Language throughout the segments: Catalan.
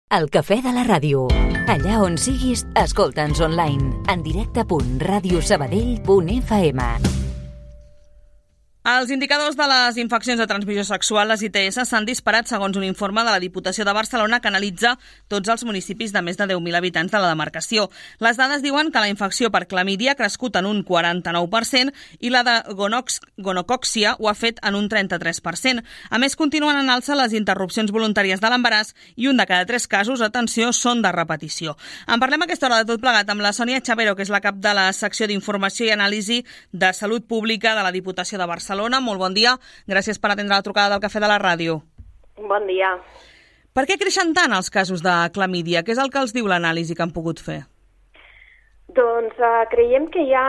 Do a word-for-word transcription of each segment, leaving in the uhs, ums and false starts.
El cafè de la ràdio. Allà on siguis, escolta'ns online. En directe punt ràdio sabadell punt efa ema. Els indicadors de les infeccions de transmissió sexual, les I T S, s'han disparat segons un informe de la Diputació de Barcelona que analitza tots els municipis de més de deu mil habitants de la demarcació. Les dades diuen que la infecció per clamídia ha crescut en un quaranta-nou per cent i la de gonox- gonocòccia ho ha fet en un trenta-tres per cent. A més, continuen en alça les interrupcions voluntàries de l'embaràs i un de cada tres casos, atenció, són de repetició. En parlem a aquesta hora de tot plegat amb la Sònia Chavero, que és la cap de la secció d'Informació i Anàlisi de Salut Pública de la Diputació de Barcelona. Molt bon dia. Gràcies per atendre la trucada del Cafè de la Ràdio. Bon dia. Per què creixen tant els casos de clamídia? Què és el que els diu l'anàlisi que han pogut fer? Doncs uh, creiem que hi ha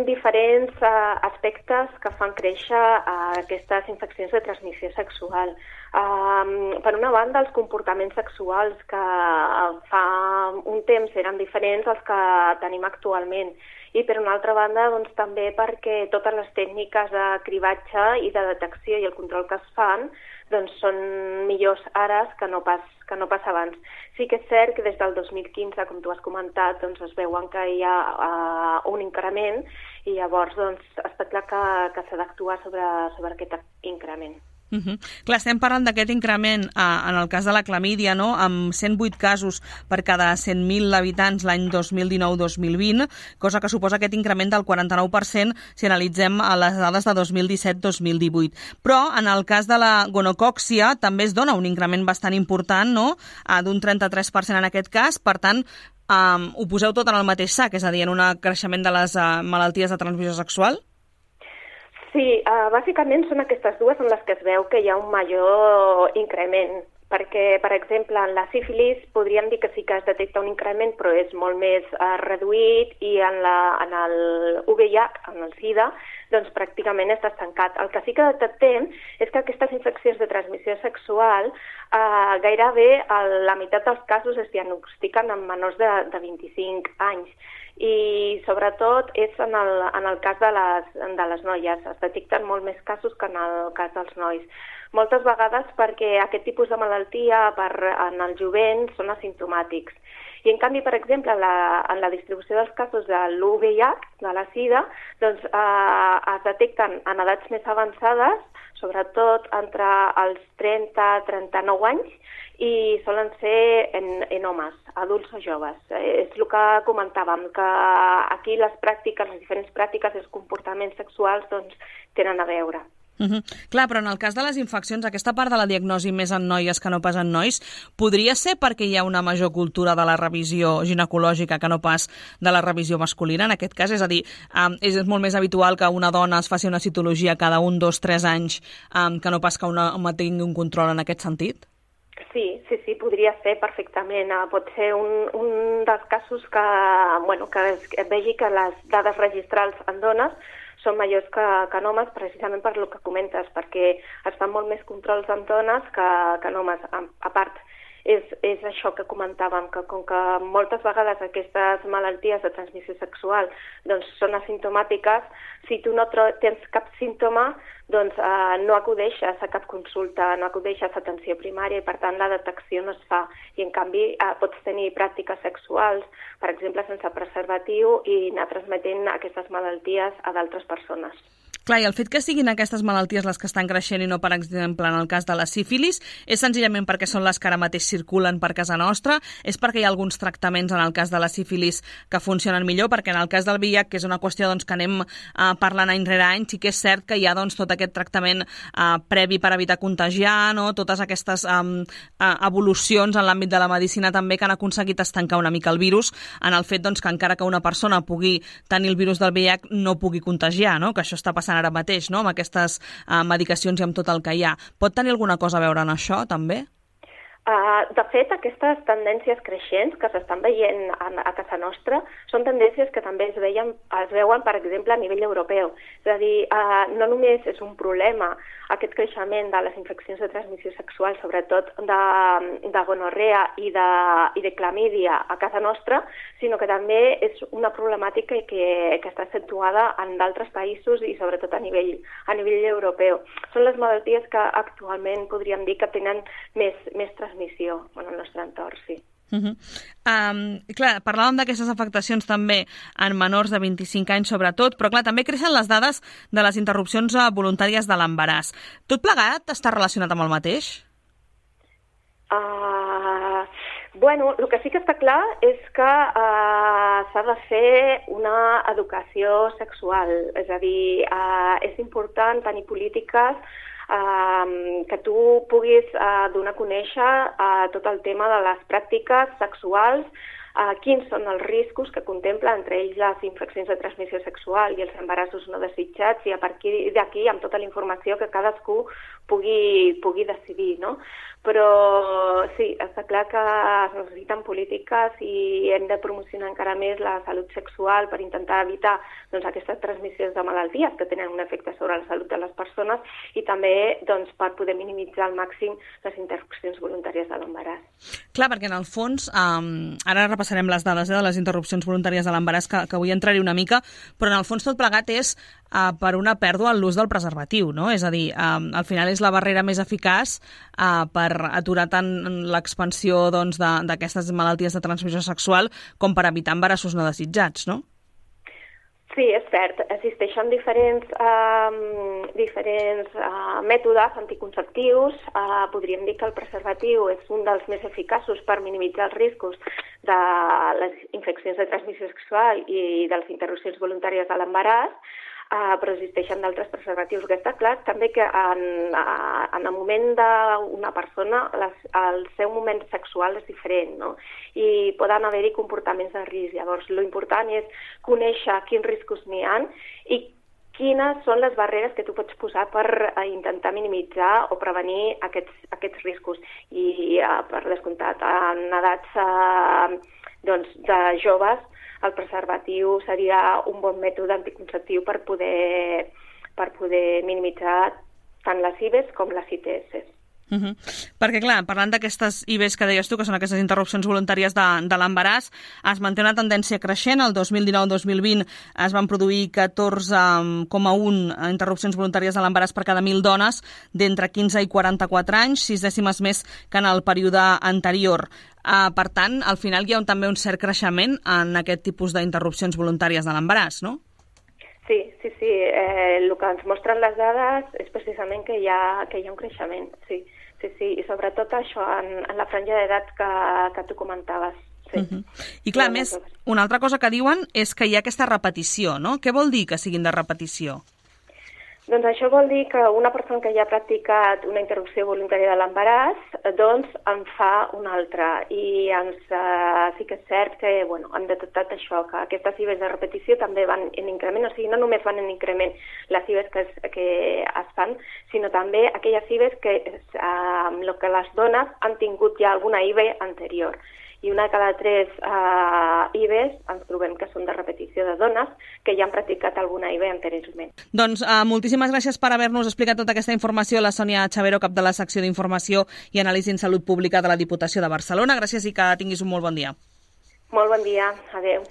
diferents uh, aspectes que fan créixer uh, aquestes infeccions de transmissió sexual. Uh, per una banda, els comportaments sexuals que uh, fa un temps eren diferents als que tenim actualment. I per una altra banda, doncs, també perquè totes les tècniques de cribatge i de detecció i el control que es fan doncs, són millors ara que no pas, que no pas abans. Sí que és cert que des del dos mil quinze, com tu has comentat, doncs, es veuen que hi ha uh, un increment i llavors doncs, està clar que, que s'ha d'actuar sobre, sobre aquest increment. Uh-huh. Clar, estem parlant d'aquest increment eh, en el cas de la clamídia, no? Amb cent vuit casos per cada cent mil habitants l'any dos mil dinou dos mil vint, cosa que suposa aquest increment del quaranta-nou per cent si analitzem a les dades de dos mil disset dos mil divuit. Però en el cas de la gonocòccia també es dona un increment bastant important, no? Eh, d'un trenta-tres per cent en aquest cas, per tant, eh, ho poseu tot en el mateix sac, és a dir, en un creixement de les eh, malalties de transmissió sexual? Sí, uh, bàsicament són aquestes dues en les que es veu que hi ha un major increment, perquè, per exemple, en la sífilis podríem dir que sí que es detecta un increment, però és molt més uh, reduït, i en, la, en el U V I H, en el SIDA, doncs pràcticament està estancat. El que sí que detectem és que aquestes infeccions de transmissió sexual uh, gairebé a la meitat dels casos es diagnostiquen en menors de, de vint-i-cinc anys. I sobretot és en el, en el cas de les, de les noies. Es detecten molt més casos que en el cas dels nois. Moltes vegades perquè aquest tipus de malaltia per, en el jovent són asimptomàtics. I en canvi, per exemple, en la, en la distribució dels casos de l'U V I H, de la SIDA, doncs eh, es detecten en edats més avançades, sobretot entre els trenta a trenta-nou anys, i solen ser en, en homes, adults o joves. Eh, és el que comentàvem, que aquí les pràctiques, les diferents pràctiques i els comportaments sexuals doncs, tenen a veure. Uh-huh. Clar, però en el cas de les infeccions, aquesta part de la diagnosi més en noies que no pas en nois, podria ser perquè hi ha una major cultura de la revisió ginecològica que no pas de la revisió masculina, en aquest cas? És a dir, um, és molt més habitual que una dona es faci una citologia cada un, dos, tres anys um, que no pas que una home tingui un control en aquest sentit? Sí, sí, sí, podria ser perfectament. Uh, pot ser un, un dels casos que, bueno, que es, es vegi que les dades registrals en dones són majors que, que en homes, precisament per el que comentes, perquè es fan molt més controls en dones que, que en homes. A, a part, és, és això que comentàvem, que com que moltes vegades aquestes malalties de transmissió sexual doncs, són asimptomàtiques, si tu no tens cap símptoma, doncs eh, no acudeixes a cap consulta, no acudeixes a atenció primària i per tant la detecció no es fa. I en canvi eh, pots tenir pràctiques sexuals, per exemple sense preservatiu, i anar transmetent aquestes malalties a d'altres persones. Clar, i el fet que siguin aquestes malalties les que estan creixent i no, per exemple, en el cas de la sífilis, és senzillament perquè són les que ara mateix circulen per casa nostra? És perquè hi ha alguns tractaments en el cas de la sífilis que funcionen millor? Perquè en el cas del V I H, que és una qüestió doncs, que anem eh, parlant any rere any, sí que és cert que hi ha doncs, tot aquest tractament eh, previ per evitar contagiar, no? Totes aquestes eh, eh, evolucions en l'àmbit de la medicina també que han aconseguit estancar una mica el virus, en el fet doncs, que encara que una persona pugui tenir el virus del V I H no pugui contagiar, no? Que això està passant ara mateix, no? Amb aquestes uh, medicacions i amb tot el que hi ha. Pot tenir alguna cosa a veure en això, també? Uh, de fet, aquestes tendències creixents que s'estan veient a, a casa nostra són tendències que també es, veien, es veuen, per exemple, a nivell europeu. És a dir, uh, no només és un problema aquest creixement de les infeccions de transmissió sexual, sobretot de, de gonorrea i de, i de clamídia a casa nostra, sinó que també és una problemàtica que, que està accentuada en d'altres països i sobretot a nivell, a nivell europeu. Són les malalties que actualment podríem dir que tenen més, més transmissió en el nostre entorn, sí. Uh -huh. um, clar, parlàvem d'aquestes afectacions també en menors de vint-i-cinc anys sobretot, però clar, també creixen les dades de les interrupcions voluntàries de l'embaràs. Tot plegat està relacionat amb el mateix? Uh, bueno, el que sí que està clar és que uh, s'ha de fer una educació sexual, és a dir, uh, és important tenir polítiques Uh, que tu puguis uh, donar a conèixer uh, tot el tema de les pràctiques sexuals, uh, quins són els riscos que contempla, entre ells les infeccions de transmissió sexual i els embarassos no desitjats, i a partir d'aquí, amb tota la informació, que cadascú pugui, pugui decidir, no? Però sí, està clar que es necessiten polítiques i hem de promocionar encara més la salut sexual per intentar evitar doncs, aquestes transmissions de malalties que tenen un efecte sobre la salut de les persones i també doncs, per poder minimitzar al màxim les interrupcions voluntàries de l'embaràs. Clar, perquè en el fons, um, ara repassarem les dades eh, de les interrupcions voluntàries de l'embaràs, que, que vull entrar-hi una mica, però en el fons tot plegat és uh, per una pèrdua en l'ús del preservatiu, no? És a dir, um, al final és la barrera més eficaç uh, per aturar tant l'expansió doncs, d'aquestes malalties de transmissió sexual com per evitar embarassos no desitjats, no? Sí, és cert. Existeixen diferents, um, diferents uh, mètodes anticonceptius. Uh, podríem dir que el preservatiu és un dels més eficaços per minimitzar els riscos de les infeccions de transmissió sexual i de les interrupcions voluntàries de l'embaràs, uh, però existeixen d'altres preservatius. Que està clar també que en, uh, en el moment d'una persona les, el seu moment sexual és diferent, no? I poden haver-hi comportaments de risc. Llavors, l'important és conèixer quins riscos n'hi ha i quines són les barreres que tu pots posar per uh, intentar minimitzar o prevenir aquests, aquests riscos. I, uh, per descomptat, en edats uh, doncs, de joves, el preservatiu seria un bon mètode anticonceptiu per poder, per poder minimitzar tant les I V Es com les I T S. Uh -huh. Perquè, clar, parlant d'aquestes I V Es que deies tu, que són aquestes interrupcions voluntàries de, de l'embaràs, es manté una tendència creixent. El dos mil dinou dos mil vint es van produir catorze coma un interrupcions voluntàries de l'embaràs per cada mil dones d'entre quinze i quaranta-quatre anys, sis dècimes més que en el període anterior. Uh, per tant, al final hi ha un, també un cert creixement en aquest tipus d'interrupcions voluntàries de l'embaràs, no? Sí, sí, sí. Eh, el que ens mostren les dades és precisament que hi ha, que hi ha un creixement, sí. Sí, sí, i sobretot això en, en la franja d'edat que, que tu comentaves. Sí. Uh -huh. I clar, sí, més, una altra cosa que diuen és que hi ha aquesta repetició, no? Què vol dir que siguin de repetició? Doncs això vol dir que una persona que ja ha practicat una interrupció voluntària de l'embaràs, doncs en fa una altra. I ens, eh, sí que és cert que bueno, hem detectat això, que aquestes I V Es de repetició també van en increment, o sigui, no només van en increment les I V Es que es, que es fan, sinó també aquelles I V Es que, eh, lo que les dones han tingut ja alguna I V E anterior. I una de cada tres uh, I V Es ens trobem que són de repetició de dones que ja han practicat alguna I V E anteriorment. Doncs uh, moltíssimes gràcies per haver-nos explicat tota aquesta informació, la Sònia Chavero, cap de la secció d'Informació i Anàlisi en Salut Pública de la Diputació de Barcelona. Gràcies i que tinguis un molt bon dia. Molt bon dia. Adéu.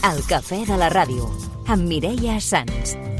El cafè de la ràdio, amb Mireia Sans.